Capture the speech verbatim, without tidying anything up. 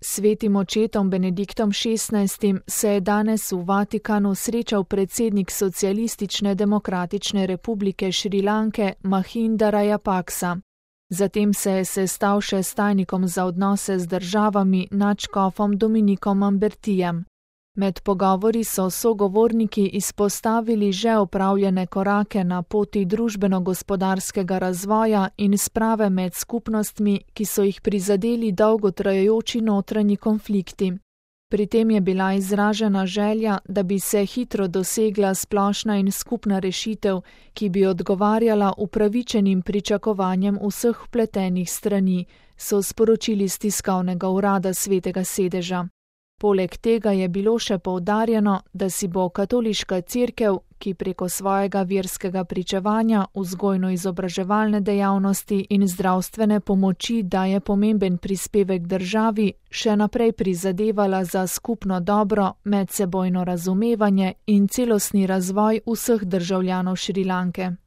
Svetim očetom Benediktom šestnajstim se je danes v Vatikanu srečal predsednik Socialistične demokratične republike Šrilanke Mahinda Rajapaksa. Zatem se je sestal še s tajnikom za odnose z državami nadškofom Dominikom Ambertijem. Med pogovori so sogovorniki izpostavili že opravljene korake na poti družbeno-gospodarskega razvoja in sprave med skupnostmi, ki so jih prizadeli dolgotrajajoči notranji konflikti. Pri tem je bila izražena želja, da bi se hitro dosegla splošna in skupna rešitev, ki bi odgovarjala upravičenim pričakovanjem vseh vpletenih strani, so sporočili s tiskovnega urada Svetega sedeža. Poleg tega je bilo še poudarjeno, da si bo katoliška cerkev, ki preko svojega verskega pričevanja, vzgojno-izobraževalne dejavnosti in zdravstvene pomoči daje pomemben prispevek državi, še naprej prizadevala za skupno dobro, medsebojno razumevanje in celostni razvoj vseh državljanov Šrilanke.